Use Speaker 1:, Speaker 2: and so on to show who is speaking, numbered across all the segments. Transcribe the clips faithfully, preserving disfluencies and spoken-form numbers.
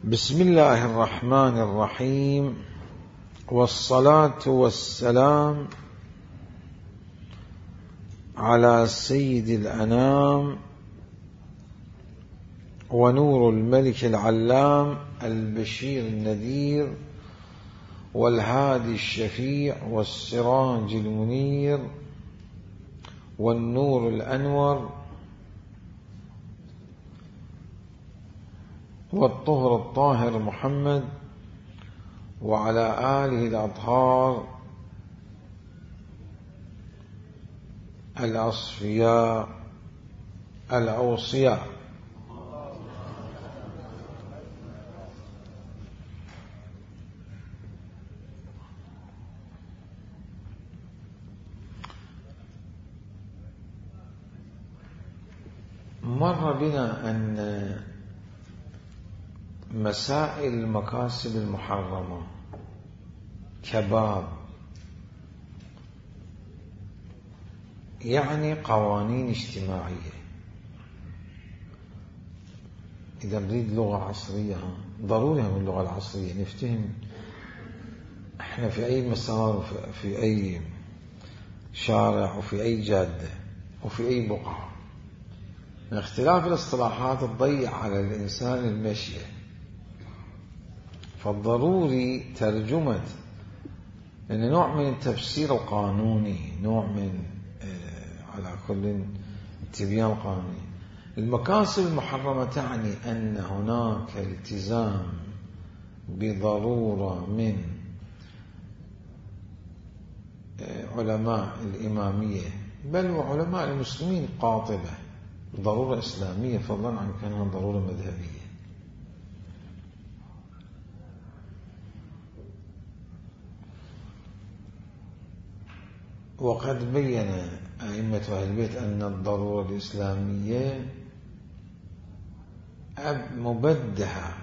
Speaker 1: بسم الله الرحمن الرحيم، والصلاة والسلام على سيد الأنام ونور الملك العلام البشير النذير والهادي الشفيع والسراج المنير والنور الأنور والطهر الطاهر محمد وعلى آله الأطهار الأصفياء الأوصياء. مر بنا أن مسائل المكاسب المحرمة كباب، يعني قوانين اجتماعية. إذا نريد لغة عصرية ضروري من اللغة العصرية نفتهم احنا في أي مسار، في أي شارع وفي أي جادة وفي أي بقعة. من اختلاف الاصطلاحات تضيع على الإنسان المشي، فالضروري ترجمة إن نوع من التفسير القانوني، نوع من على كل التبيان القانوني. المكاسب المحرمة تعني أن هناك التزام بضرورة من علماء الإمامية بل وعلماء المسلمين قاطبة، ضرورة إسلامية فضلا عن كونها ضرورة مذهبية. وقد بين أئمة أهل البيت أن الضرورة الإسلامية مبدحة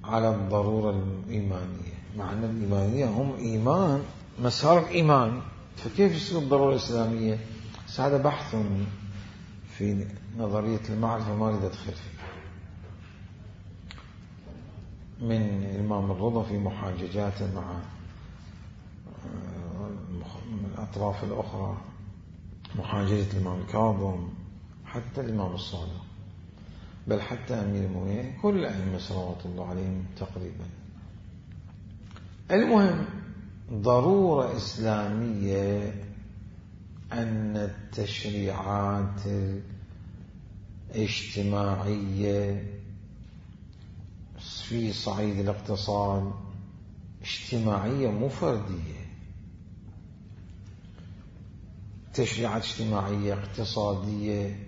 Speaker 1: على الضرورة الإيمانية، مع أن الإيمانية هم إيمان مسار الإيمان، فكيف يصير الضرورة الإسلامية؟ هذا بحث في نظرية المعرفة ما أريد أدخل فيه، من الإمام الرضا في محاججاته مع الأطراف الأخرى، محاججة الإمام الكاظم، حتى الإمام الصادق، بل حتى أمير المؤمنين، كل الأئمة صلوات الله عليهم تقريبا. المهم ضرورة إسلامية أن التشريعات الاجتماعية في صعيد الاقتصاد اجتماعية مو فردية، تشريعات اجتماعية اقتصادية.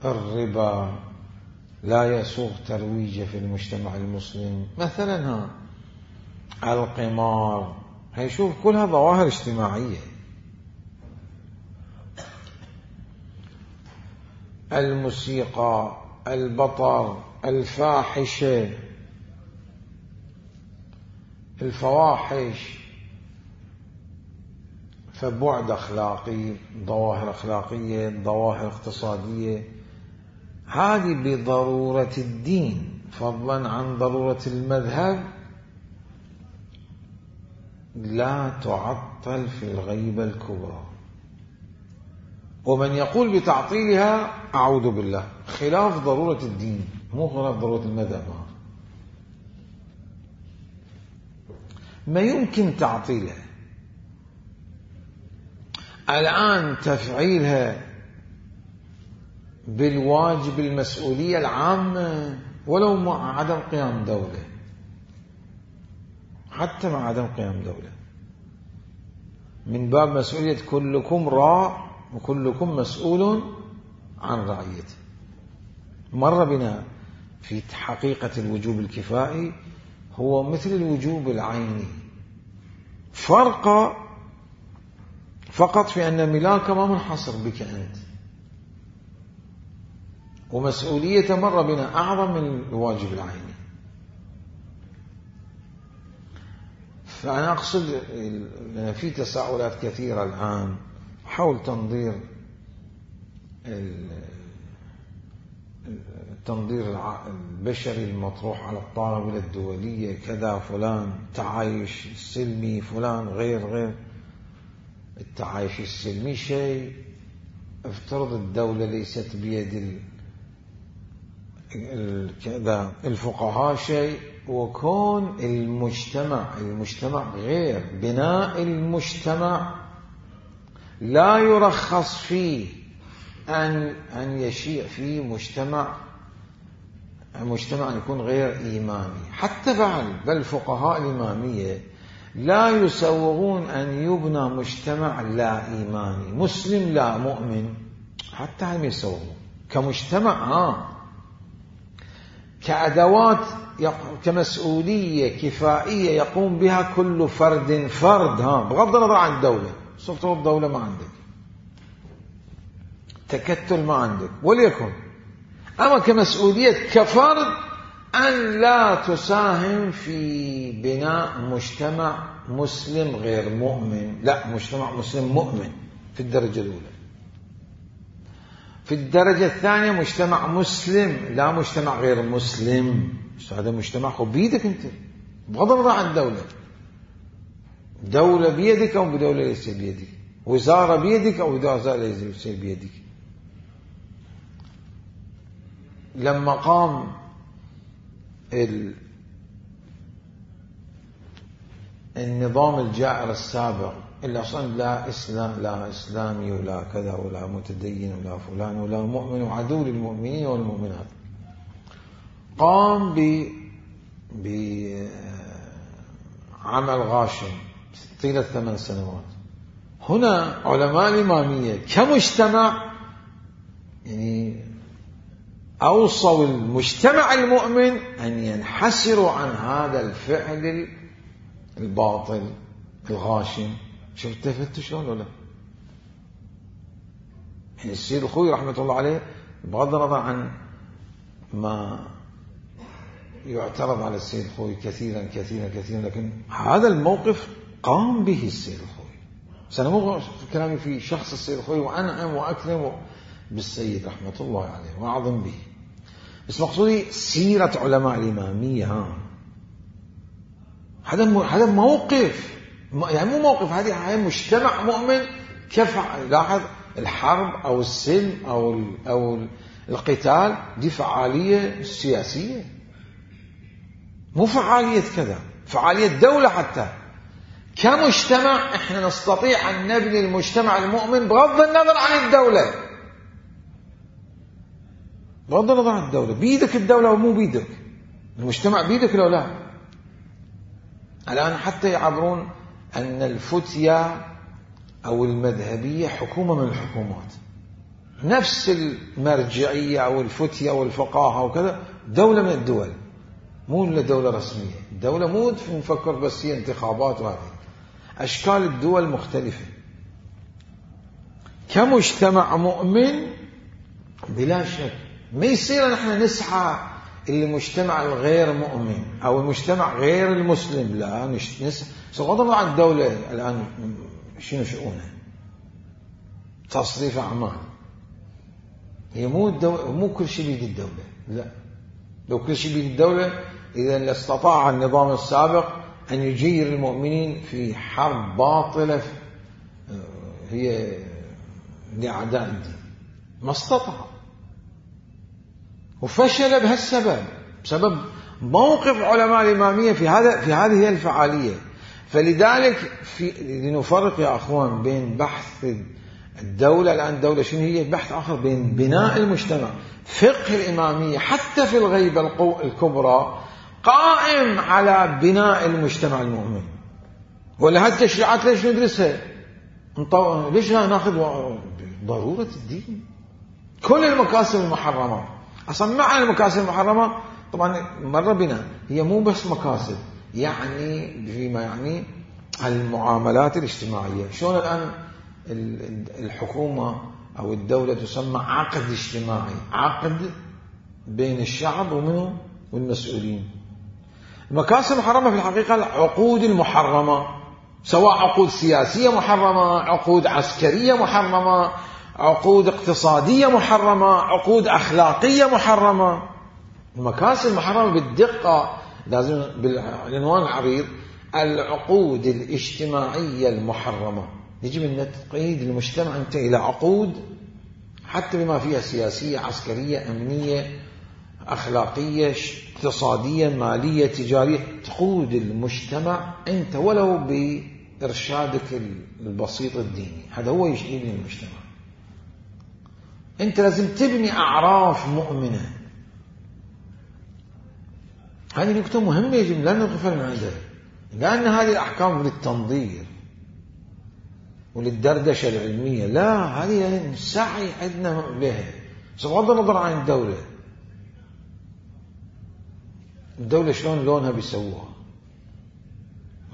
Speaker 1: الربا لا يسوغ ترويجه في المجتمع المسلم مثلا، ها القمار، هي شوف كلها ظواهر اجتماعية. الموسيقى، البطر، الفاحشة، الفواحش، فبعد أخلاقي، ظواهر أخلاقية، ظواهر اقتصادية، هذه بضرورة الدين فضلا عن ضرورة المذهب لا تعطل في الغيبة الكبرى. ومن يقول بتعطيلها أعوذ بالله، خلاف ضرورة الدين مو خلاف ضرورة المذهب. ما يمكن تعطيلها الآن، تفعيلها بالواجب المسؤولية العامة ولو مع عدم قيام دولة، حتى مع عدم قيام دولة، من باب مسؤولية كلكم راع وكلكم مسؤول عن رعيته. مر بنا في حقيقة الوجوب الكفائي هو مثل الوجوب العيني، فرق فقط في أن ملاك ما منحصر بك أنت، ومسؤولية مر بنا أعظم من الواجب العيني. فأنا أقصد في تساؤلات كثيرة الآن حول تنظير التنظير البشري المطروح على الطاولة الدولية كذا فلان تعايش السلمي فلان غير غير. التعايش السلمي شيء، افترض الدولة ليست بيد كذا الفقهاء شيء، وكون المجتمع المجتمع غير. بناء المجتمع لا يرخص فيه أن أن يشيع فيه مجتمع مجتمع يكون غير إيماني. حتى بعد بل فقهاء الإمامية لا يسوغون أن يبنى مجتمع لا إيماني، مسلم لا مؤمن، حتى هم يسوغون كمجتمع ها كأدوات كمسؤولية كفائية يقوم بها كل فرد فرد ها بغض النظر عن الدولة. سلطة الدولة ما عندك، تكتل ما عندك وليكن، أما كمسؤولية كفرد أن لا تساهم في بناء مجتمع مسلم غير مؤمن، لا مجتمع مسلم مؤمن في الدرجة الأولى. في الدرجة الثانية مجتمع مسلم لا مجتمع غير مسلم. هذا مجتمع خو بيدك أنت بغض النظر عن الدولة. دولة بيدك أو بدولة ليس بيدك، وزارة بيدك أو وزارة ليس بيدك. لما قام النظام الجائر السابق اللي أصلا لا إسلام لا إسلامي ولا كذا ولا متدين ولا فلان ولا مؤمن وعدو للمؤمنين والمؤمنات، قام ب بعمل غاشم طيلة ثمان سنوات. هنا علماء الإمامية كمجتمع يعني أوصوا المجتمع المؤمن أن ينحسروا عن هذا الفعل الباطل الغاشم. شفت تفتوا شلون ولا؟ يعني السيد الخوي رحمة الله عليه بغض النظر عن ما يعترض على السيد الخوي كثيرا كثيرا كثيرا، لكن هذا الموقف قام به السيد الخوي. سنمر كلامي في شخص السيد الخوي وأنعم وأكرم بالسيد رحمة الله عليه وأعظم به، بس مقصودي سيرة علماء الإمامية. ها هذا هذا موقف، يعني مو موقف، هذه مجتمع مؤمن كيف. لاحظ الحرب أو السلم أو أو القتال دي فعالية سياسية، مو فعالية كذا، فعالية دولة. حتى كمجتمع احنا نستطيع أن نبني المجتمع المؤمن بغض النظر عن الدولة، بغض النظر عن الدولة. بيدك الدولة ومو بيدك، المجتمع بيدك لو لا. الآن حتى يعبرون أن الفتية أو المذهبية حكومة من الحكومات، نفس المرجعية أو الفتية أو الفقاهة وكذا دولة من الدول، مو إلا دولة رسمية. الدولة مو نفكر بس هي انتخابات، وهذه أشكال الدول مختلفة. كمجتمع مؤمن بلا شك ما يصير نحن نسعى المجتمع الغير مؤمن أو المجتمع غير المسلم، لا نسعى بغض عن الدولة. الآن شنو شؤونها؟ تصريف أعمال. هي مو الدولة، مو كل شيء بيد الدولة، لا. لو كل شيء بيد الدولة إذا لاستطاع النظام السابق أن يجير المؤمنين في حرب باطلة هي لأعداء الدين، ما استطاع، وفشل بهالسبب، بسبب موقف علماء الإمامية في هذا في هذه هي الفعالية. فلذلك في لنفرق يا أخوان بين بحث الدولة، الآن الدولة شنو هي، بحث آخر بين بناء المجتمع. فقه الإمامية حتى في الغيبة الكبرى قائم على بناء المجتمع المؤمن. ولا هالتشريعات ليش ندرسها؟ ليش ناخذ ضرورة الدين؟ كل المكاسب المحرمة أصلا. معنى المكاسب المحرمة طبعا مر بنا، هي مو بس مكاسب، يعني فيما يعني المعاملات الاجتماعية. شلون الآن الحكومة أو الدولة تسمى عقد اجتماعي، عقد بين الشعب ومنه والمسؤولين. المكاسب المحرمة في الحقيقة العقود المحرمة، سواء عقود سياسية محرمة، عقود عسكرية محرمة، عقود اقتصادية محرمة، عقود أخلاقية محرمة. المكاسب المحرمة بالدقة لازم بالعنوان العريض العقود الاجتماعية المحرمة. يجب أن تقيد المجتمع أنت إلى عقود حتى بما فيها سياسية، عسكرية، أمنية، أخلاقية، اقتصادية، مالية، تجارية. تقود المجتمع أنت ولو بإرشادك البسيط الديني. هذا هو يبني المجتمع. أنت لازم تبني أعراف مؤمنة. هذه نقطة مهمة يجب لا نغفل من عندها، لأن هذه الأحكام للتنظير وللدردشة العلمية. لا، هذه السعي عندنا بها بغض النظر عن الدولة. الدولة شلون لونها بيسووها.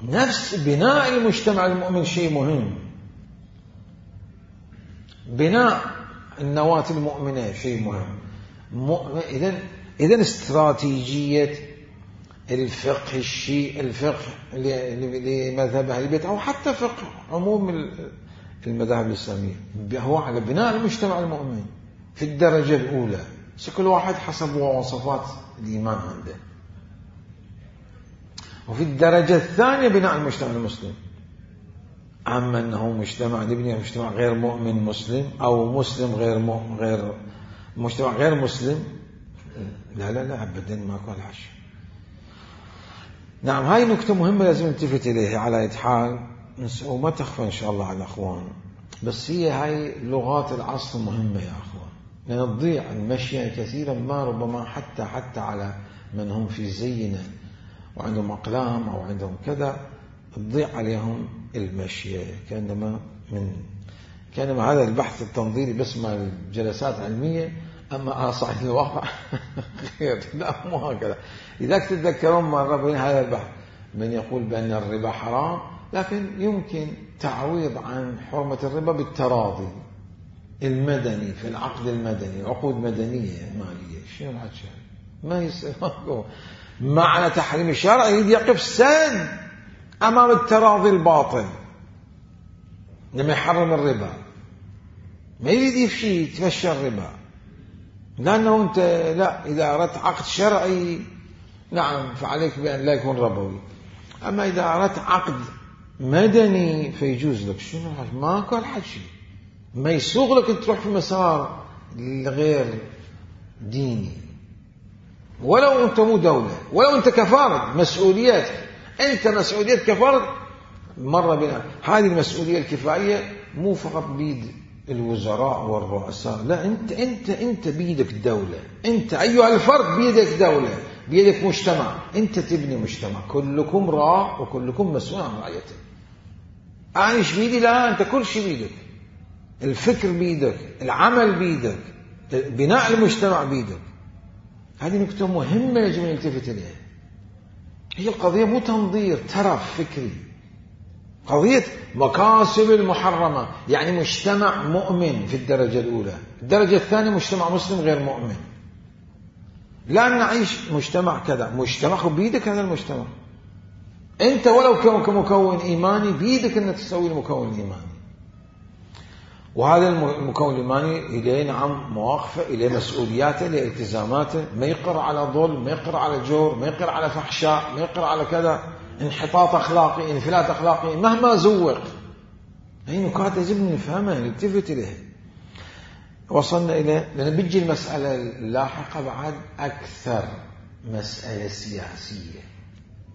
Speaker 1: نفس بناء المجتمع المؤمن شيء مهم. بناء النواة المؤمنة شيء مهم. إذن إذن استراتيجية الفقه الشيء الفقه لمذهب أهل البيت أو حتى فقه عموم المذاهب الإسلامية هو على بناء المجتمع المؤمن في الدرجة الأولى. كل واحد حسب مواصفات الإيمان عنده. وفي الدرجة الثانية بناء المجتمع المسلم. أما أنه مجتمع نبني مجتمع غير مؤمن مسلم أو مسلم غير مؤمن غير مجتمع غير مسلم، لا لا لا أبدا ما كان حش. نعم، هاي نقطة مهمة لازم نلتفت إليها على أي حال، وما تخفى إن شاء الله على الأخوان. بس هي هاي لغات العصر مهمة يا أخوان، لأن تضيع المشي كثيرا ما ربما حتى حتى على من هم في زينا وعندهم أقلام أو عندهم كذا تضيع عليهم المشي. كأنما من كأنما هذا البحث التنظيري بس مع الجلسات علمية، أما على صعيد الواقع غير. لا مو هكذا. لذلك تتذكرون مرة بين هذا البحث من يقول بأن الربا حرام، لكن يمكن تعويض عن حرمة الربا بالتراضي المدني في العقد المدني، عقود مدنية مالية. شنو الحكي؟ ما يصير. معنى تحريم الشرع يريد يقف سد أمام التراضي الباطل لما يحرم الربا. ما يريد يفشي يتفشى الربا، لأنه أنت لا، إذا أردت عقد شرعي نعم فعليك بأن لا يكون ربوي. أما إذا أردت عقد مدني فيجوز لك. شنو ما كان حكي ما يسوغ لك أن تروح في مسار غير ديني، ولو أنت مو دولة، ولو أنت كفارد مسؤولياتك. أنت مسؤوليات كفارد مرة بنا. هذه المسؤولية الكفائية مو فقط بيد الوزراء والرؤساء، لا، أنت أنت أنت بيدك دولة. أنت أيها الفرد بيدك دولة، بيدك مجتمع. أنت تبني مجتمع، كلكم راع وكلكم مسؤول عن رعيته. أنا إيش بيدي؟ لا، أنت كل شيء بيدك. الفكر بيدك، العمل بيدك، بناء المجتمع بيدك. هذه نقطة مهمة يجب أن نلتفت إليها. هي القضية مو تنظير ترف فكري، قضية مكاسب المحرمة. يعني مجتمع مؤمن في الدرجة الأولى. الدرجة الثانية مجتمع مسلم غير مؤمن. لا نعيش مجتمع كذا، مجتمع بيدك هذا المجتمع. أنت ولو كمكون إيماني بيدك أنك تسوي المكون الإيماني. وهذا المكون الإيماني إليه نعم مواقفه، إليه مسؤولياته، إليه التزاماته. ما يقر على ظلم، ما يقر على جور، ما يقر على فحشاء، ما يقر على كذا انحطاط أخلاقي، انفلات أخلاقي مهما زوق. هي نكات يجب نفهمها نلتفت إليها. وصلنا إليه لأن بيجي المسألة اللاحقة بعد أكثر مسألة سياسية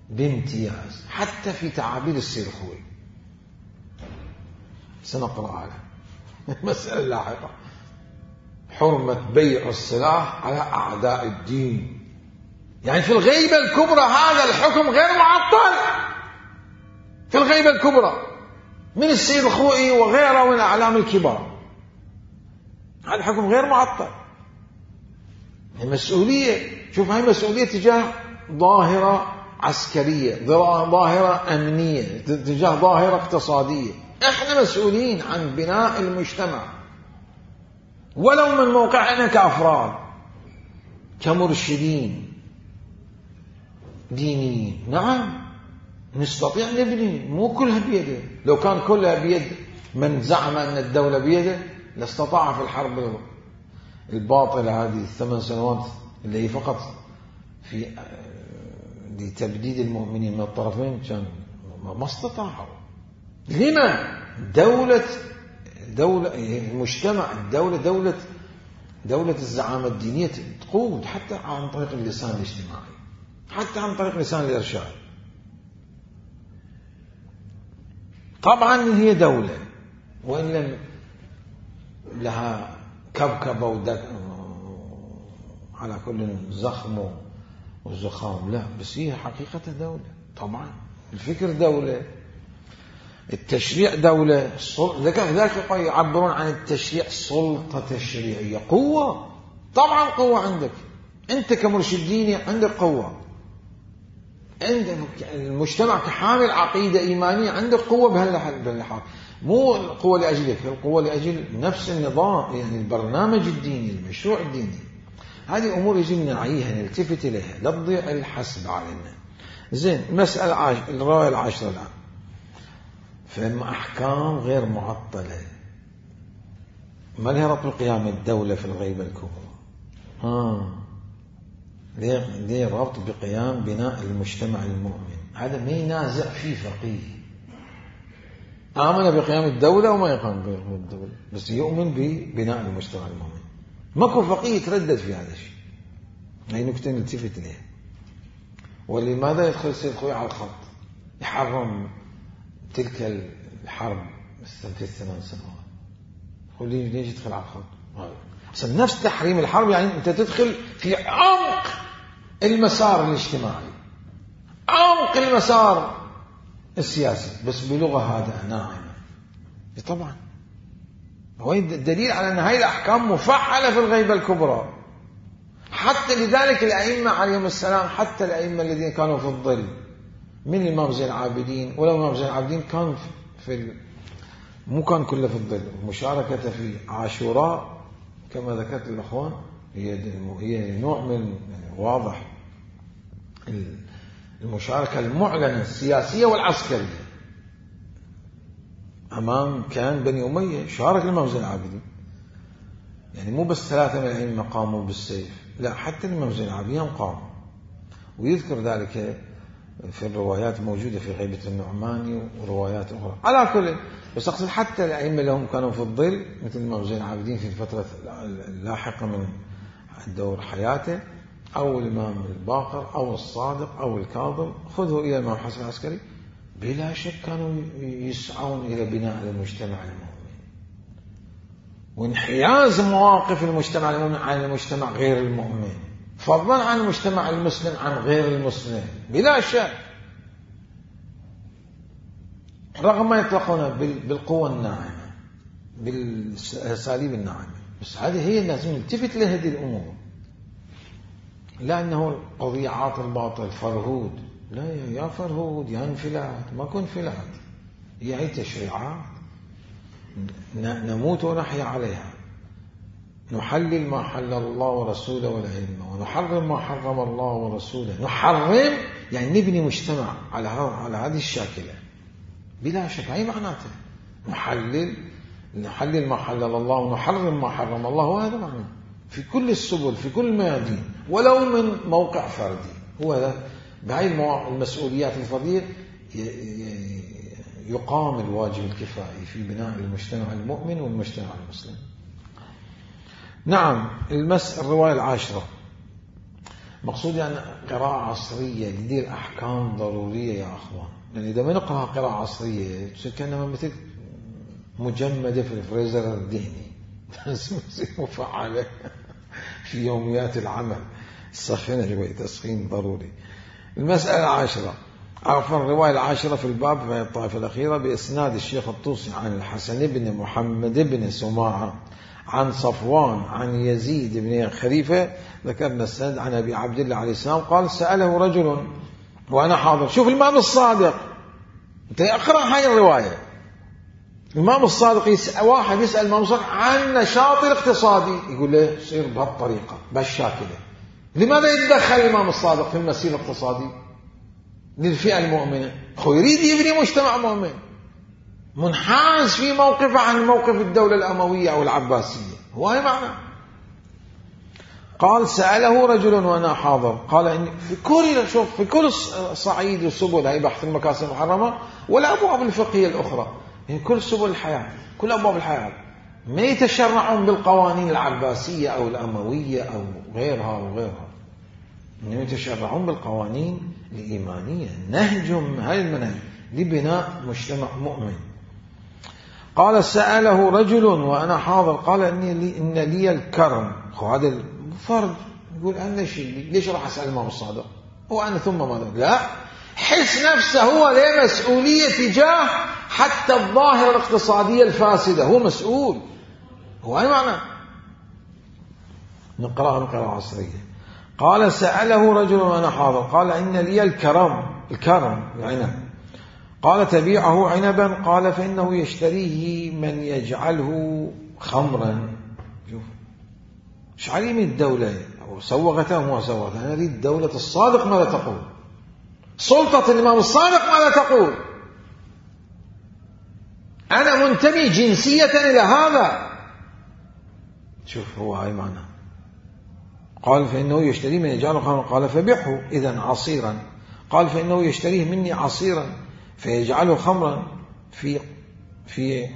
Speaker 1: بامتياز حتى في تعابير السير الخوي. سنقرأ على المسألة اللاحقة: حرمة بيع السلاح على أعداء الدين. يعني في الغيبة الكبرى هذا الحكم غير معطل. في الغيبة الكبرى من السيد الخوئي وغيره من الأعلام الكبار هذا الحكم غير معطل. المسؤولية، شوف هاي مسؤولية تجاه ظاهرة عسكرية، ظاهرة أمنية، تجاه ظاهرة اقتصادية. احنا مسؤولين عن بناء المجتمع ولو من موقعنا كأفراد كمرشدين دينيين. نعم نستطيع نبني، مو كلها بيده. لو كان كلها بيد من زعم أن الدولة بيده لاستطاع في الحرب الباطلة هذه الثمان سنوات اللي هي فقط في لتبديد المؤمنين من الطرفين كان ما استطاعوا. لما؟ دولة دولة المجتمع الدولة دولة دولة الزعامة الدينية تقود حتى عن طريق اللسان الاجتماعي، حتى عن طريق لسان الإرشاد. طبعا هي دولة وإن لم لها كبكبة ودك على كل زخم وزخام، لا، بس هي حقيقة دولة. طبعا الفكر دولة، التشريع دولة، ذاك يعبرون عن التشريع سلطة تشريعية، قوة. طبعا قوة عندك أنت كمرشد ديني، عندك قوة، عندك المجتمع كحامل عقيدة إيمانية عندك قوة بهالحال، مو القوة لأجلك، القوة لأجل نفس النظام، يعني البرنامج الديني، المشروع الديني. هذه أمور يجب أن نعيها نلتفت إليها، لا تضيع الحسب علينا. زين، المسألة عاش... الرواية العاشرة الآن، فإما أحكام غير معطلة ما لها ربط بقيام الدولة في الغيبة الكبرى. آه. ليه ليه ربط بقيام بناء المجتمع المؤمن؟ هذا ما ينازع فيه فقيه. آمن بقيام الدولة وما يقام بقيام الدولة، بس يؤمن ببناء المجتمع المؤمن. ماكو فقيه يتردد في هذا الشيء. هي نكتة نلتفت لها. ولماذا يدخل السيد خوي على الخط يحرم تلك الحرب في الثمان سنوات؟ يقول لي ليش يدخل على الخط؟ أصلا نفس تحريم الحرب يعني أنت تدخل في عمق المسار الاجتماعي، عمق المسار السياسي، بس بلغة هادئة ناعمة. طبعا هو الدليل على أن هذه الأحكام مفعلة في الغيبة الكبرى. حتى لذلك الأئمة عليهم السلام، حتى الأئمة الذين كانوا في الظل من الإمام زين العابدين، ولو الإمام زين العابدين كان في ال... مو كان كله في الظل، مشاركته في عاشوراء كما ذكرت الأخوان هي هي نوع من واضح المشاركة المعلنة السياسية والعسكرية أمام كان بني أمية. شارك الإمام زين العابدين، يعني مو بس ثلاثة من الأئمة قاموا بالسيف، لا، حتى الإمام زين العابدين قام. ويذكر ذلك في الروايات موجودة في غيبة النعماني وروايات أخرى. على كل، بس أقصد حتى الأئمة لهم كانوا في الظل مثل الإمام زين العابدين في الفترة اللاحقة من دور حياته، أو الإمام الباقر أو الصادق أو الكاظم، خذوا إلى الإمام حسن العسكري، بلا شك كانوا يسعون إلى بناء المجتمع المؤمن وانحياز مواقف المجتمع المؤمن عن المجتمع غير المؤمن، فضلا عن المجتمع المسلم عن غير المسلم، بلا شك، رغم ما يطلقون بالقوة الناعمة بالأساليب الناعمة. بس هذه هي الناس نلتفت لهذه الأمور، لا أنه قضيعات الباطل فرهود، لا يا فرهود يا انفلات، ما كن انفلات، هي هي تشريعات نموت ونحيا عليها، نحلل ما حلل الله ورسوله والأئمة، ونحرم ما حرم الله ورسوله. نحرم يعني نبني مجتمع على على هذه الشاكلة، بلا شك هي معناته نحلل نحلل ما حلل الله ونحرم ما حرم الله، وهذا معناه في كل السبل في كل الميادين، ولو من موقع فردي. هو هذا بهاي المسؤوليات الفردية يقام الواجب الكفائي في بناء المجتمع المؤمن والمجتمع المسلم. نعم، المس الرواية العاشرة مقصود يعني قراءة عصرية لدي الأحكام ضرورية يا أخوان. يعني إذا ما نقرأ قراءة عصرية كأنما مثل مجمدة في الفريزر الذهني مفعلة في يوميات العمل، السخنة شوي تسخين ضروري. المسألة العاشرة، عفوا الرواية العاشرة في الباب في الطائفة الأخيرة بإسناد الشيخ الطوسي عن الحسن بن محمد بن سماعة عن صفوان عن يزيد بن خليفة، ذكرنا السند عن أبي عبد الله عليه السلام قال سأله رجل وأنا حاضر. شوف الإمام الصادق، أنت اقرأ هاي الرواية، الإمام الصادق يسأل واحد يسأل الإمام الصادق عن نشاط الاقتصادي، يقول له صير بهالطريقة بهالشاكلة. لماذا يتدخل الإمام الصادق في المسير الاقتصادي للفئة المؤمنة؟ هو يريد يبني مجتمع مؤمن منحاز في موقفه عن موقف الدولة الأموية أو العباسية، هو هي معنى. قال سأله رجل وأنا حاضر قال إن في كل شوف في كل صعيد السبل هي بحث المكاسب المحرمة ولا أبواب الفقهية الأخرى يعني كل سبل الحياة كل أبواب الحياة ما يتشرعون بالقوانين العباسية أو الأموية أو غيرها وغيرها إنهم يتشرعون بالقوانين الإيمانية نهجهم هاي المنهج لبناء مجتمع مؤمن. قال سأله رجل وأنا حاضر قال إني لي إن لي الكرم هذا فرد يقول أنا شيء ليش راح أسأل الإمام الصادق هو أنا ثم ماذا لا حس نفسه هو له مسؤولية تجاه حتى الظاهرة الاقتصادية الفاسدة هو مسؤول هو أي معنى نقرأها نقرأ عصرية. قال سأله رجل وأنا حاضر قال إن لي الكرم الكرم العنب قال تبيعه عنبا قال فإنه يشتريه من يجعله خمرا. شوف مش علي من الدولة سوغته وما سوغته أنا أريد الدولة الصادق ماذا تقول سلطة الإمام الصادق ماذا تقول أنا منتمي جنسية إلى هذا. شوف هو هاي معنى قال فإنه يشتريه من يجعله خمرا قال فبيعه إذن عصيرا قال فإنه يشتريه مني عصيرا فيجعله خمرا في في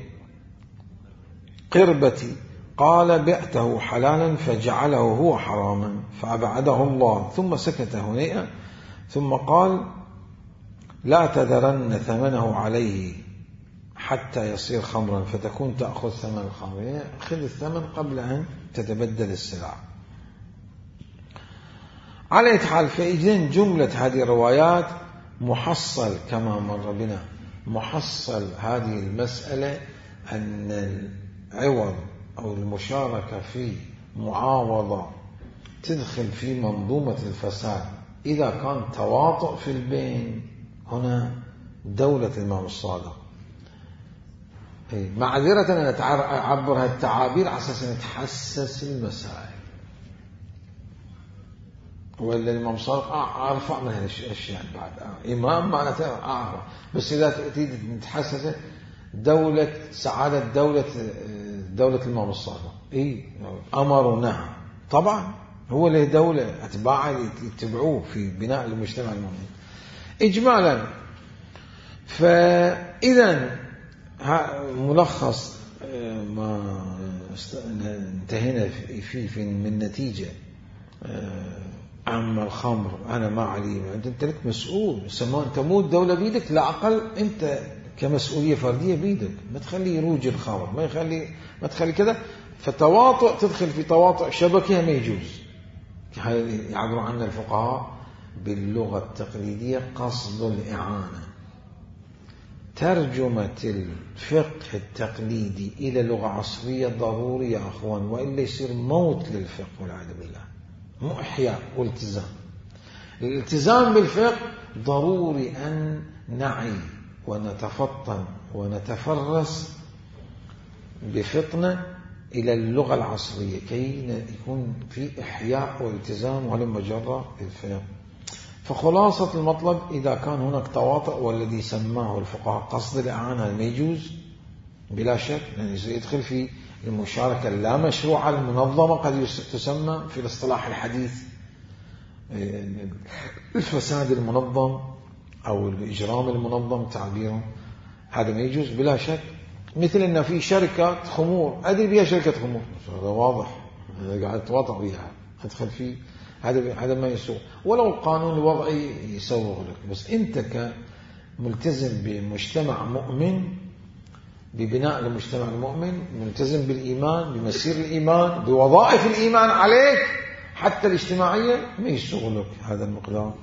Speaker 1: قربتي قال بعته حلالا فجعله هو حراما فأبعده الله ثم سكت هنيئا ثم قال لا تذرن ثمنه عليه حتى يصير خمرا فتكون تأخذ ثمن الخمر يعني خذ الثمن قبل أن تتبدل السلع. على أي حال فإذن جملة هذه الروايات محصل كما مر بنا محصل هذه المسألة أن العوض أو المشاركة في معاوضة تدخل في منظومة الفساد إذا كان تواطؤ في البين هنا دولة الإمام الصادق. معذرة أنا أعبر هالتعابير على أساس أن نتحسس المسائل ولا الإمام الصادق أرفع من هالأشياء بعد إمام معناته أعرف بس إذا تريد نتحسس دولة سعادة دولة دولة الإمام الصادق إيه أمر ونهى طبعا هو له دولة أتباعه يتبعوه في بناء المجتمع المؤمن إجمالا. فإذا ملخص ما انتهينا فيه في من نتيجة عم الخمر أنا ما علي أنت لك مسؤول سواء تموت دولة بيدك لا أقل أنت كمسؤولية فردية بيدك ما تخلي يروج الخمر ما يخلي ما تخلي كذا فتواطؤ تدخل في تواطؤ شبكة ما يجوز يعبر عنه الفقهاء باللغة التقليدية قصد الإعانة. ترجمة الفقه التقليدي إلى لغة عصرية ضروري يا أخوان وإلا يصير موت للفقه والعياذ بالله مو إحياء والتزام. الالتزام بالفقه ضروري أن نعي ونتفطن ونتفرس بفطنة إلى اللغة العصرية كي يكون في إحياء والتزام ولما جرى الفقه. فخلاصة المطلب إذا كان هناك تواطؤ والذي سماه الفقهاء قصد الإعانة ما يجوز بلا شك يعني يدخل في المشاركة اللا مشروعة المنظمة قد تسمى في الاصطلاح الحديث الفساد المنظم أو الإجرام المنظم تعبيره هذا ما يجوز بلا شك. مثل أن في شركة خمور أدري بها شركة خمور هذا واضح هذا قاعد تواطأ بها أدخل فيه هذا هذا ما يسوق ولو القانون الوضعي يسوغ لك بس أنت كملتزم بمجتمع مؤمن ببناء المجتمع المؤمن ملتزم بالإيمان بمسير الإيمان بوظائف الإيمان عليك حتى الاجتماعية ما يسوغ لك هذا المقدار.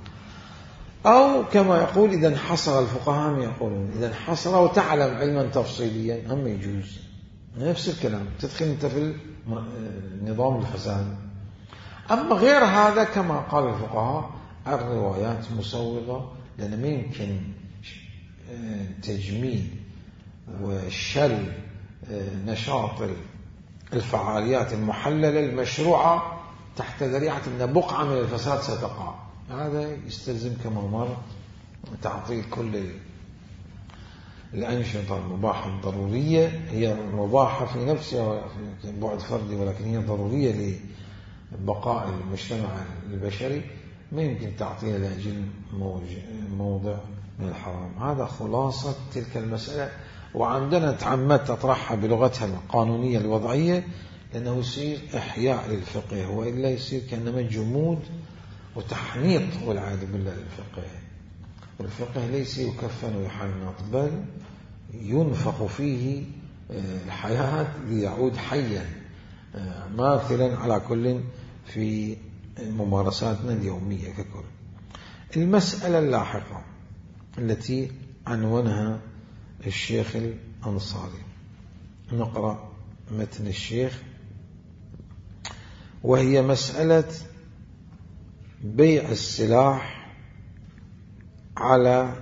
Speaker 1: أو كما يقول إذا انحصر الفقهاء هم يقولون إذا انحصر وتعلم علما تفصيليا هم يجوز نفس الكلام تدخل أنت في نظام الفساد. أما غير هذا كما قال الفقهاء الروايات مسوغة لأن ما يمكن تجميل وشل نشاط الفعاليات المحللة المشروعة تحت ذريعة أن بقعة من الفساد ستقع. هذا يستلزم كما مر تعطيل كل الأنشطة المباحة الضرورية هي مباحة في نفسها في بعد فردي ولكن هي ضرورية بقاء المجتمع البشري ما يمكن تعطينا لأجل موضع من الحرام. هذا خلاصة تلك المسألة، وعندنا تعمدت أطرحها بلغتها القانونية الوضعية لأنه يصير إحياء للفقه، وإلا يصير كأنما جمود وتحنيط والعياذ بالله للفقه. والفقه ليس يكفن ويحنط، بل ينفخ فيه الحياة ليعود حيا ماثلا على كل في ممارساتنا اليومية ككل. المسألة اللاحقة التي عنونها الشيخ الأنصاري، نقرأ متن الشيخ، وهي مسألة بيع السلاح على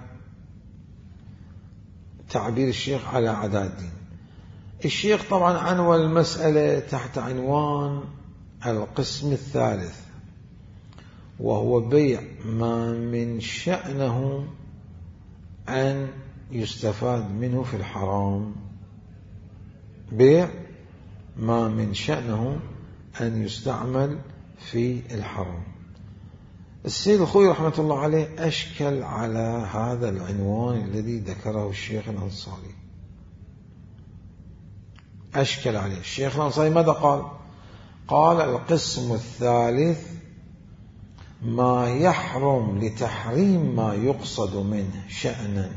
Speaker 1: تعبير الشيخ على عداد الدين. الشيخ طبعا عنوان المسألة تحت عنوان القسم الثالث، وهو بيع ما من شأنه أن يستفاد منه في الحرام. بيع ما من شأنه أن يستعمل في الحرام. السيد الخوي رحمة الله عليه أشكل على هذا العنوان الذي ذكره الشيخ الأنصاري، أشكل عليه. الشيخ الأنصاري ماذا قال؟ قال القسم الثالث ما يحرم لتحريم ما يقصد منه شأنا،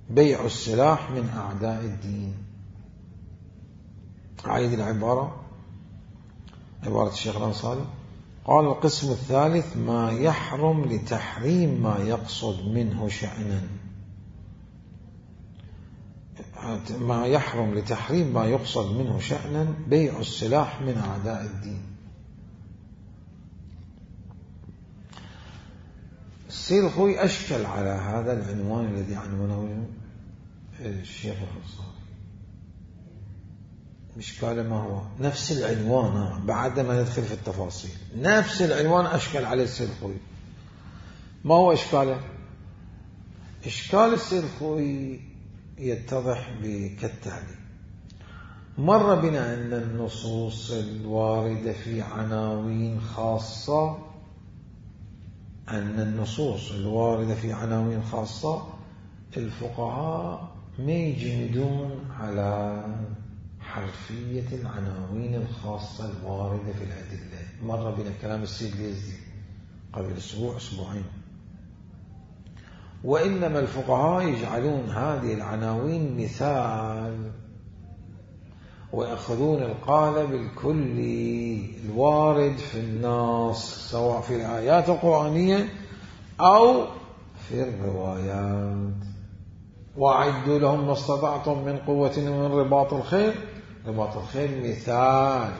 Speaker 1: بيع السلاح من أعداء الدين. أعيد العبارة، عبارة الشيخ الأنصاري، قال القسم الثالث ما يحرم لتحريم ما يقصد منه شأنا، ما يحرم لتحريم ما يقصد منه شأنا بيع السلاح من أعداء الدين. السيد الخوي أشكل على هذا العنوان الذي عنونه الشيخ الأنصاري. إشكاله ما هو؟ نفس العنوان، بعد ما ندخل في التفاصيل نفس العنوان أشكل عليه السيد الخوي. ما هو إشكاله؟ إشكال السيد الخوي يتضح كالتالي. مر بنا أن النصوص الواردة في عناوين خاصة أن النصوص الواردة في عناوين خاصة الفقهاء ما يجمدون على حرفية العناوين الخاصة الواردة في الأدلة. مر بنا كلام السيد اليزدي قبل أسبوع أسبوعين. وإنما الفقهاء يجعلون هذه العناوين مثال، ويأخذون القالب الكلي الوارد في النص سواء في الآيات القرآنية أو في الروايات. وأعدوا لهم ما استطعتم من قوة ومن رباط الخيل. رباط الخيل مثال،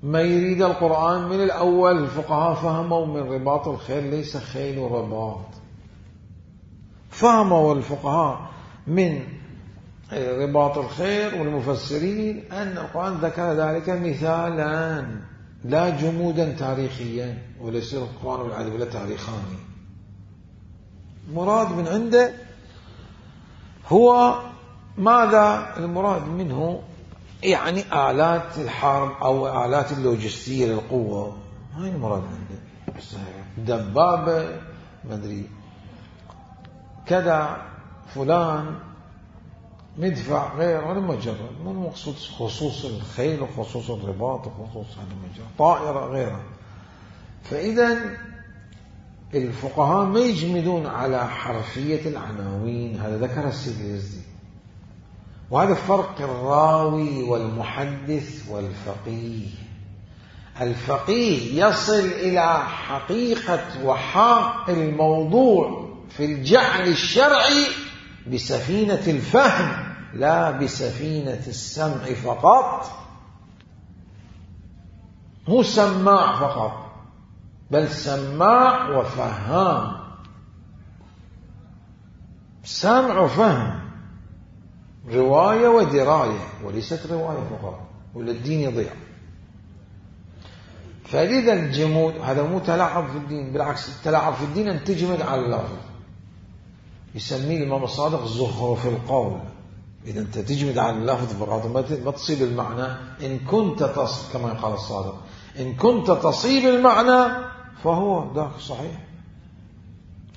Speaker 1: ما يريد القرآن من الأول الفقهاء فهموا من رباط الخيل ليس خيل ورباط. فهموا الفقهاء من رباط الخير والمفسرين أن القرآن ذكر ذلك مثالا لا جمودا تاريخيا، وليس القرآن والعدل ولا تاريخاني. مراد من عنده هو ماذا؟ المراد منه يعني آلات الحرب أو آلات اللوجستية للقوة، هاي المراد عنده. دبابة مدري كذا فلان مدفع غير، هذا مجرد مو مقصود خصوص الخيل وخصوص الرباط وخصوص هذا مجرد طائرة غيرها. فإذا الفقهاء ما يجمدون على حرفية العناوين، هذا ذكر السيد اليزدي. وهذا فرق الراوي والمحدث والفقيه. الفقيه يصل إلى حقيقة وحق الموضوع في الجعل الشرعي بسفينة الفهم لا بسفينة السمع فقط. مو سماع فقط، بل سماع وفهام، سمع وفهم، رواية ودراية، وليست رواية فقط ولا الدين يضيع. فلذا الجمود هذا مو تلاعب في الدين، بالعكس التلاعب في الدين أن تجمد على اللفظ. يسميه الإمام الصادق زخرف القول. إذا أنت تجمد على اللفظ فقط ما تصيب المعنى. إن كنت تصل كما قال الصادق، إن كنت تصيب المعنى فهو ذاك صحيح.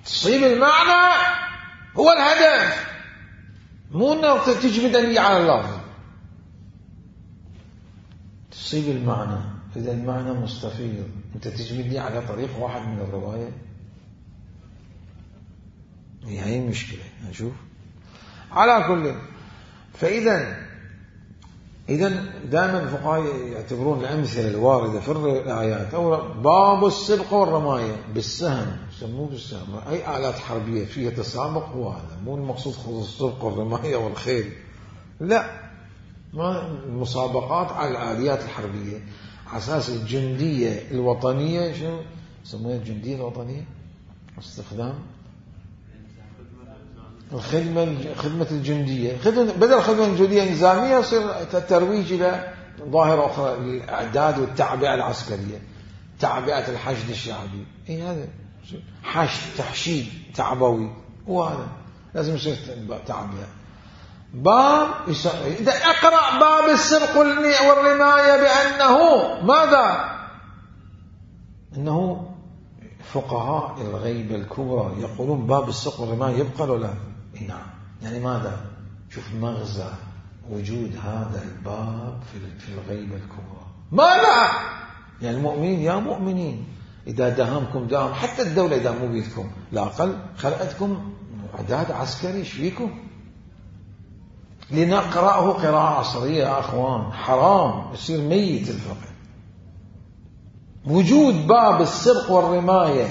Speaker 1: تصيب المعنى هو الهدف، مو أنه تجمد أني على اللفظ. تصيب المعنى، إذا المعنى مستفيض أنت تجمدني على طريق واحد من الرواية، هي مشكلة. نشوف على كل. فإذا إذا دائما الفقهاء يعتبرون الأمثلة الواردة في الآيات أو باب السبق والرماية بالسهم، يسموه بالسهم، أي آلات حربية فيها تسابق، هو هذا مو المقصود خذ السبق والرماية والخيل، لا، ما المسابقات على الآليات الحربية على أساس الجندية الوطنية. شنو يسمونها الجندية الوطنية؟ استخدام الخدمة خدمة الجندية، خدمة بدل الخدمة الجندية النظامية يصير ترويج إلى ظاهرة أخرى، الإعداد والتعبئة العسكرية، تعبئة الحشد الشعبي. إيه هذا حشد، تحشيد تعبوي، وهذا لازم يصير تعبئة. باب إذا أقرأ باب السبق والرماية بأنه ماذا؟ أنه فقهاء الغيبة الكبرى يقولون باب السبق والرماية يبقى ولا لا؟ نعم. يعني ماذا؟ شوف مغزى وجود هذا الباب في الغيبة الكبرى. ماذا؟ يعني المؤمنين يا مؤمنين إذا داهمكم داهم، حتى الدولة إذا مو بيدكم لا أقل خلقتكم إعداد عسكري، ايش فيكم؟ لنقرأه قراءة عصرية يا أخوان، حرام يصير ميت الفقه. وجود باب السبق والرماية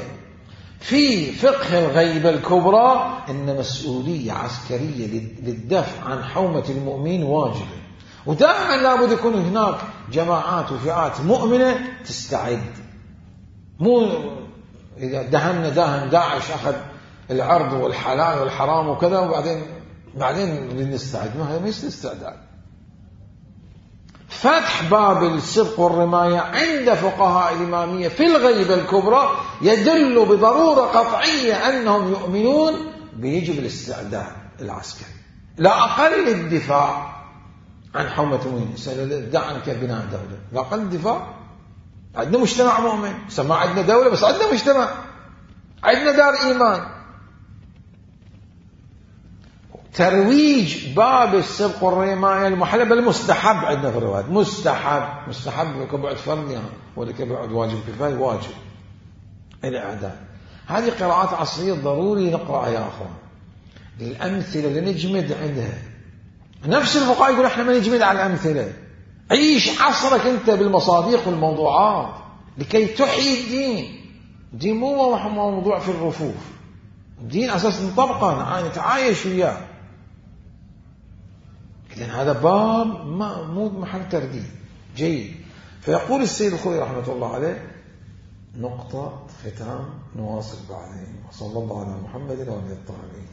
Speaker 1: في فقه الغيبة الكبرى إن مسؤولية عسكرية للدفع عن حومة المؤمن واجبة، ودائما لابد يكون هناك جماعات وفئات مؤمنة تستعد. مو إذا دهمنا داهم داعش أخذ العرض والحلال والحرام وكذا وبعدين بعدين لنستعد، ما هي مش استعداد. فتح باب السبق والرماية عند فقهاء الإمامية في الغيبة الكبرى يدل بضرورة قطعية أنهم يؤمنون بيجب الاستعداد العسكري، لا أقل الدفاع عن حومة المؤمنين، دع عنك بناء دولة، لا أقل الدفاع. عندنا مجتمع مؤمن، سمع عندنا دولة بس عندنا مجتمع، عندنا دار إيمان. ترويج باب السبق والرماية المحلى بل مستحب عندنا في الروايات، مستحب مستحب كبعد فرض يعني ولا كبعد واجب كفاية، واجب الإعداد. هذه قراءات عصرية ضروري نقرأها يا أخوان. الأمثلة اللي نجمد عندها، نفس الفقهاء يقول احنا ما نجمد على الأمثلة، عيش عصرك أنت بالمصادق والموضوعات لكي تحيي الدين. الدين مو موضوع في الرفوف، الدين أساس نطبقه نتعايش وياه. إذن هذا باب ما مو محل ترديد. جيد. فيقول السيد الخوئي رحمة الله عليه نقطة ختام، نواصل بعدين. وصلى الله على محمد وعلى آله الطاهرين.